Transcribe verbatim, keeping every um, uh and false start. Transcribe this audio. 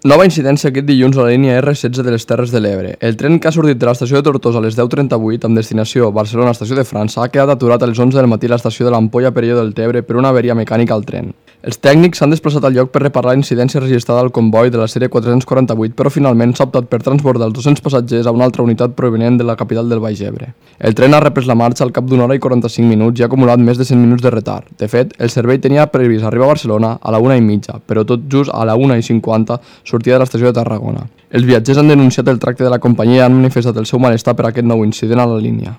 Nova incidència aquest dilluns a la línia erre setze de les Terres de l'Ebre. El tren que ha sortit de l'estació de Tortosa a les deu trenta-vuit amb destinació Barcelona, estació de França, ha quedat aturat a les onze del matí a l'estació de l'Ampolla Perelló del Tebre per una averia mecànica al tren. Els tècnics s'han desplaçat al lloc per reparar la incidència registrada al comboi de la sèrie quatre-cents quaranta-vuit, però finalment s'ha optat per transbordar els dos-cents passatgers a una altra unitat provenent de la capital del Baix Ebre. El tren ha reprès la marxa al cap d'una hora i quaranta-cinc minuts i ha acumulat més de cent minuts de retard. De fet, el servei tenia previst arribar a Barcelona a la una i mitja, però tot just a la una i cinquanta sortia de l'estació de Tarragona. Els viatgers han denunciat el tracte de la companyia i han manifestat el seu malestar per aquest nou incident a la línia.